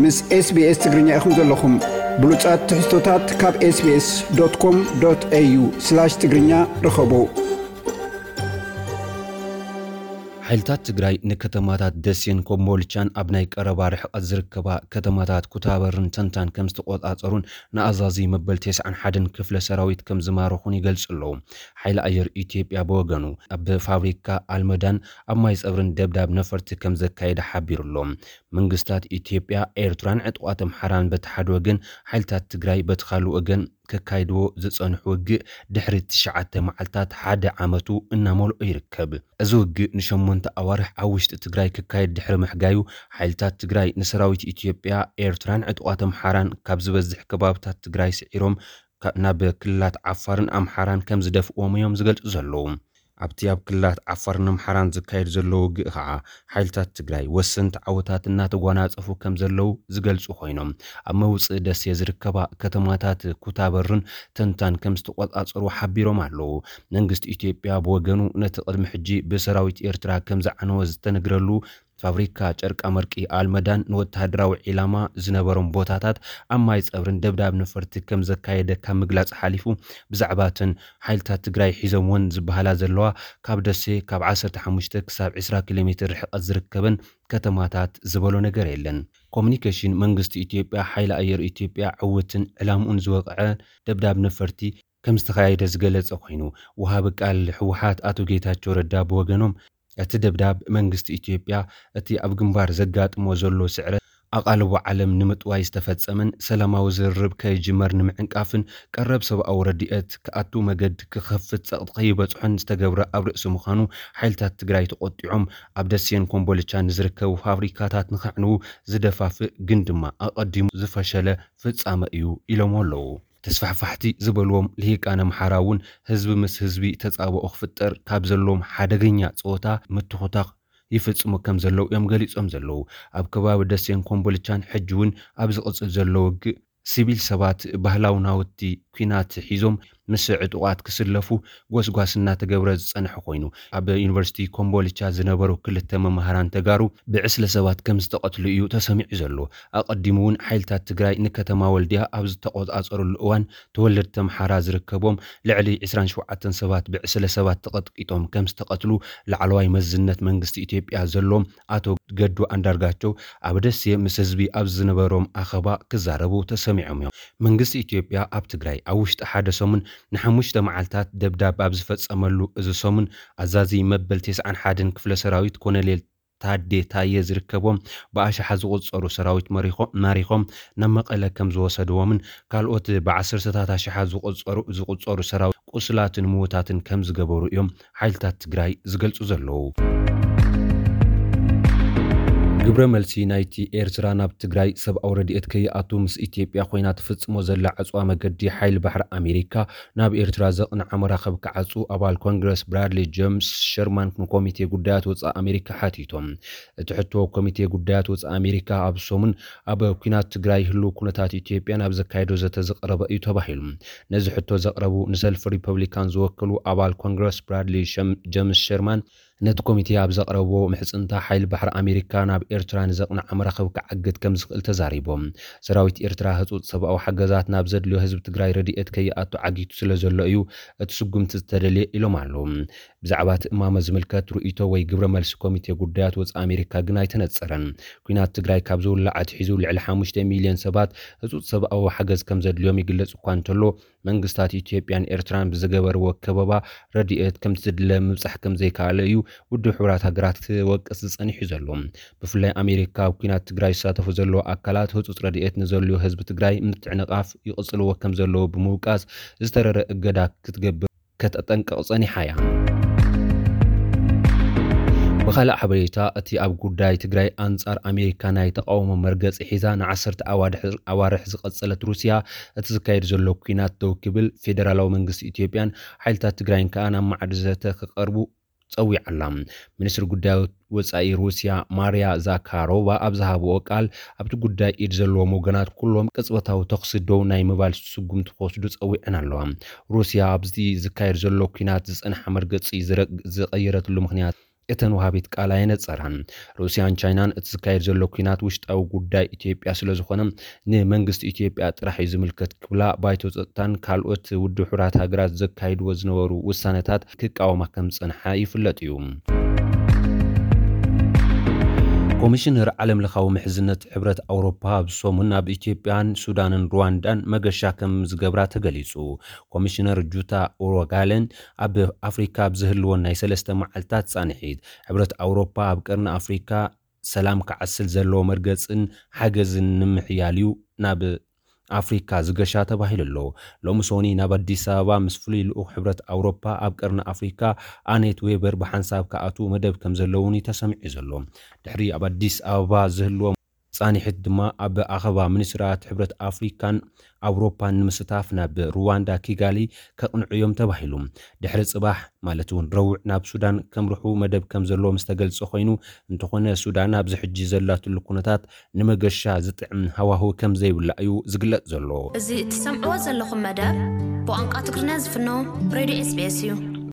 ምስ SBS ትግርኛ ኢኹም ዘለኹም። ብሉጻት ትሕዝቶታት ካብ SBS.com.au/ትግርኛ ርኸቡ። ሓይልታት ትግራይ ንከተማታት ደሴን ኮምቦልቻን ኣብ ናይ ቀረባ ርሕቐት ዝርከባ ከተማታት ኩታበርን ተንታን ከም ዝተቖጻጸሩን ንኣዛዚ መበል ተስዓን ሓደን ክፍለ ሰራዊት ከም ዝማረኹን ይገልጹ ኣለዉ። ሓይሊ ኣየር ኢትዮጵያ ብወገኑ ኣብ ፋብሪካ ኣልመዳን ኣብ ማይ ጸብርን ደብዳብ ነፈርቲ ከም ዘካየደ ሓቢሩ ኣሎ። መንግስታት ኢትዮጵያ፣ ኤርትራን ዕጡቓት ኣምሓራን በቲ ሓደ ወገን፣ ሓይልታት ትግራይ በቲ ካልእ ወገን ከካይድዎ ዝጸንሑ ውግእ ድሕሪ ትሽዓተ መዓልታት ሓደ ዓመቱ እናመልኦ ይርከብ። እዚ ውግእ ንሸሞንተ ኣዋርሕ ኣብ ውሽጢ ትግራይ ክካየድ ድሕሪ ምሕጋዩ፣ ሓይልታት ትግራይ ንሰራዊት ኢትዮጵያ፣ ኤርትራን ዕጡቓት ኣምሓራን ካብ ዝበዝሕ ከባብታት ትግራይ ስዒሮም ካ-፣ ናብ ክልላት ዓፋርን ኣምሓራን ከም ዝደፍእዎም እዮም ዝገልጹ ዘለዉ። ኣብቲ ኣብ ክልላት ዓፋርን ኣምሓራን ዝካየድ ዘሎ ውግእ ኸዓ፣ ሓይልታት ትግራይ ወሰንቲ ዓወታት እናተጓናጸፉ ከም ዘለዉ ዝገልጹ ኮይኖም፣ ኣብ መውጽኢ ደሴ ዝርከባ ከተማታት ኩታበርን ተንታን ከም ዝተቆጻጸሩ ሓቢሮም ኣለዉ። መንግስቲ ኢትዮጵያ ብወገኑ፣ ነቲ ቅድሚ ሕጂ ብሰራዊት ኤርትራ ከም ዝዓነወ ዝተነግረሉ ፋብሪካ ጨርቃ መርቂ ኣልመዳን ንወተሃደራዊ ዒላማ ዝነበሮም ቦታታት ኣብ ማይ ጸብርን ደብዳብ ነፈርቲ ከም ዘካየደ ካብ ምግላጽ ሓሊፉ፣ ብዛዕባ እተን ሓይልታት ትግራይ ሒዞምወን ዝበሃላ ዘለዋ ካብ ደሴ ካብ ዓሰርተ ሓሙሽተ ክሳብ ዕስራ ኪሎ ሜትር ርሕቀት ዝርከበን ከተማታት ዝበሎ ነገር የለን። ኮሙኒኬሽን መንግስቲ ኢትዮጵያ፣ ሓይሊ ኣየር ኢትዮጵያ ዕውትን ዕላምኡን ዝወቕዐ ደብዳብ ነፈርቲ ከም ዝተኻየደ ዝገለጸ ኮይኑ፣ ወሃቢ ቃል ህወሓት ኣቶ ጌታቸው ረዳ ብወገኖም፣ እቲ ደብዳብ መንግስቲ ኢትዮጵያ እቲ ኣብ ግንባር ዘጋጥሞ ዘሎ ስዕረት ኣቓልቦ ዓለም ንምጥዋይ ዝተፈጸመን ሰላማዊ ዝርርብ ከይጅመር ንምዕንቃፍን ቀረብ ሰብኣዊ ረድኤት ክኣቱ መገዲ ክኸፍት ጸቕጢ ከይበጽሖን ዝተገብረ ኣብ ርእሲ ምዃኑ፣ ሓይልታት ትግራይ ተቖጢዖም ኣብ ደሴን ኮምቦልቻን ንዝርከቡ ፋብሪካታት ንኸዕንዉ ዝደፋፍእ ግን ድማ ኣቐዲሙ ዝፈሸለ ፍጻመ እዩ ኢሎምዎ ኣለዉ። ተስፋሕፋሕቲ ዝበልዎም ልሂቃን ኣምሓራ እውን ህዝቢ ምስ ህዝቢ ተጻብኦ ክፍጠር ካብ ዘለዎም ሓደገኛ ጸወታ ምትኹታኽ ይፍጽሙ ከም ዘለዉ እዮም ገሊጾም ዘለዉ። ኣብ ከባቢ ደሴን ኮምቦልቻን ሕጂ እውን ኣብ ዝቕጽል ዘሎ ውግእ ሲቪል ሰባት ባህላዊ ናውቲ ኲናት ሒዞም ምስ ዕጡቓት ክስለፉ ጎስጓስ እናተገብረ ዝጸንሐ ኮይኑ፣ ኣብ ዩኒቨርሲቲ ኮምቦልቻ ዝነበሩ ክልተ መማህራን ተጋሩ ብዕስለ ሰባት ከም ዝተቐትሉ እዩ ተሰሚዑ ዘሎ። ኣቐዲሙ እውን ሓይልታት ትግራይ ንከተማ ወልድያ ኣብ ዝተቖጻጸሩሉ እዋን፣ ተወለድቲ ኣምሓራ ዝርከቦም ልዕሊ ዕስራን ሸውዓተን ሰባት ብዕስለ ሰባት ተቐጥቂጦም ከም ዝተቐትሉ ላዕለዋይ መዝነት መንግስቲ ኢትዮጵያ ዘሎም ኣቶ ገዱ ኣንዳርጋቸው ኣብ ደሴ ምስ ህዝቢ ኣብ ዝነበሮም ኣኸባ ክዛረቡ ተሰሚዖም እዮም። መንግስቲ ኢትዮጵያ ኣብ ትግራይ ኣብ ውሽጢ ሓደ ሰሙን ንሓሙሽተ መዓልታት ደብዳብ ኣብ ዝፈጸመሉ፣ እዚ ሰሙን ኣዛዚ መበል ተስዓን ሓደን ክፍለ ሰራዊት ኮነሌል ታዴ ታየ ዝርከቦም ብኣሽሓት ዝቑጸሩ ሰራዊት መሪኾ-፣ ማሪኾም ናብ መቐለ ከም ዝወሰድዎምን ካልኦት ብዓሰርተታት ኣሽሓት ዝቑጸሩ፣ ዝቑጸሩ ሰራዊት ቁስላትን ምዉታትን ከም ዝገበሩ እዮም ሓይልታት ትግራይ ዝገልጹ ዘለዉ። ግብረ መልሲ ናይቲ ኤርትራ ናብ ትግራይ ሰብኣዊ ረድኤት ከይኣቱ ምስ ኢትዮጵያ ኮይና ትፍጽሞ ዘላ ዕጽዋ መገዲ ሓይሊ ባሕሪ ኣሜሪካ ናብ ኤርትራ ዘቕንዓ መራኸብ ክዓጹ ኣባል ኮንግረስ ብራድሊ ጀምስ ሸርማን ንኮሚቴ ጉዳያት ወጻኢ ኣሜሪካ ሓቲቶም። እቲ ሕቶ ኮሚቴ ጉዳያት ወጻኢ ኣሜሪካ ኣብ ሰሙን ኣብ ኲናት ትግራይ ህልው ኩነታት ኢትዮጵያን ኣብ ዘካየዶ ዘተ ዝቐረበ እዩ ተባሂሉ። ነዚ ሕቶ ዘቕረቡ ንሰልፊ ሪፐብሊካን ዝወከሉ ኣባል ኮንግረስ ብራድሊ ሸም-፣ ጀምስ ሸርማን ነቲ ኮሚቴ ኣብ ዘቕረብዎ ምሕጽንታ ሓይሊ ባሕሪ ኣሜሪካ ናብ ኤርትራ ንዘቕንዓ መራኸብ ክዓግት ከም ዝኽእል ተዛሪቦም። ሰራዊት ኤርትራ ህጹጽ ሰብኣዊ ሓገዛት ናብ ዘድልዮ ህዝቢ ትግራይ ረድኤት ከይኣቱ ዓጊቱ ስለ ዘሎ እዩ እቲ ስጉምቲ ዝተደልየ ኢሎም ኣለዉ። ብዛዕባ እቲ እማመ ዝምልከት ርእይቶ ወይ ግብረ መልሲ ኮሚቴ ጉዳያት ወጻኢ ኣሜሪካ ግን ኣይተነጸረን። ኲናት ትግራይ ካብ ዝውላዕ ኣትሒዙ ልዕሊ ሓሙሽተ ሚልዮን ሰባት ህጹጽ ሰብኣዊ ሓገዝ ከም ዘድልዮም ይግለጽ እኳ እንተሎ፣ መንግስታት ኢትዮጵያን ኤርትራን ብዝገበርዎ ከበባ ረድኤት ከምቲ ዝድለ ምብጻሕ ከም ዘይከኣለ እዩ ውድብ ሕቡራት ሃገራት ክወቅስ ዝጸኒሑ ዘሎ። ብፍላይ ኣሜሪካ ኣብ ኲናት ትግራይ ዝሳተፉ ዘለዉ ኣካላት ህጹጽ ረድኤት ንዘድልዮ ህዝቢ ትግራይ ምትዕንቓፍ ይቕጽልዎ ከም ዘለዉ ብምውቃስ ዝተረረ እገዳ ክትገብር ከተጠንቅቕ ጸኒሓ እያ። ብኻልእ ሓበሬታ፣ እቲ ኣብ ጉዳይ ትግራይ ኣንጻር ኣሜሪካ ናይ ተቓውሞ መርገጺ ሒዛ ንዓሰርተ ኣዋድሕ-፣ ኣዋርሕ ዝቐጸለት ሩስያ፣ እቲ ዝካየድ ዘሎ ኲናት ደው ክብል፣ ፌደራላዊ መንግስቲ ኢትዮጵያን ሓይልታት ትግራይን ከኣ ናብ ማዕዲ ዘተ ክቐርቡ ጸዊዓ ኣላ። ሚኒስትሪ ጉዳይ ወጻኢ ሩስያ ማርያ ዛካሮቫ ኣብ ዝሃብኦ ቃል፣ ኣብቲ ጉዳይ ኢድ ዘለዎም ወገናት ኩሎም ቅጽበታዊ ተኹሲ ደው ናይ ምባል ስጉምቲ ክወስዱ ጸዊዐን ኣለዋ። ሩስያ ኣብዚ ዝካየድ ዘሎ ኲናት ዝጸንሓ መርገጺ ዝረ-፣ ዝቐየረትሉ ምኽንያት እተን ወሃቢት ቃል ኣየነጸራን። ሩስያን ቻይናን እቲ ዝካየድ ዘሎ ኲናት ውሽጣዊ ጉዳይ ኢትዮጵያ ስለ ዝኾነ ንመንግስቲ ኢትዮጵያ ጥራሕ እዩ ዝምልከት ክብላ ባይቶ ጸጥታን ካልኦት ውድብ ሕቡራት ሃገራት ዘካይድዎ ዝነበሩ ውሳነታት ክቃወማ ከም ዝጸንሓ ይፍለጥ እዩ። ኮሚሽነር ዓለም ለኻዊ ምሕዝነት ሕብረት ኣውሮፓ ኣብዚ ሰሙን ኣብ ኢትዮጵያን ሱዳንን ሩዋንዳን መገሻ ከም ዝገብራ ተገሊጹ። ኮሚሽነር ጁታ ኡሮጋለን ኣብ ኣፍሪካ ኣብ ዝህልወን ናይ ሰለስተ መዓልታት ጻንሒት ሕብረት ኣውሮፓ ኣብ ቀርኒ ኣፍሪካ ሰላም ክዓስል ዘለዎ መርገጽን ሓገዝን ንምሕያል እዩ ናብ ኣፍሪካ ዝገሻ ተባሂሉ ኣሎ። ሎሚ ሶኒ ናብ ኣዲስ ኣበባ ምስ ፍሉይ ልኡኽ ሕብረት ኣውሮፓ ኣብ ቀርኒ ኣፍሪካ ኣኔት ዌበር ብሓንሳብ ክኣትዉ መደብ ከም ዘለውን እዩ ተሰሚዑ ዘሎ። ድሕሪ ኣብ ኣዲስ ኣበባ ዝህልዎም ጻንሒት ድማ ኣብ ኣኸባ ሚኒስትራት ሕብረት ኣፍሪካን ኣውሮፓን ንምስታፍ ናብ ሩዋንዳ ኪጋሊ ከቕንዑ እዮም ተባሂሉ። ድሕሪ ጽባሕ ማለት እውን ረቡዕ ናብ ሱዳን ከምርሑ መደብ ከም ዘለዎ ምስ ተገልጸ ኮይኑ፣ እንተኾነ ሱዳን ኣብዚ ሕጂ ዘላትሉ ኩነታት ንመገሻ ዝጥዕም ሃዋህው ከም ዘይብላ እዩ ዝግለጽ ዘሎ። እዚ እትሰምዕዎ ዘለኹም መደብ ብቋንቋ ትግርኛ ዝፍኖ ሬድዮ ኤስቢኤስ እዩ።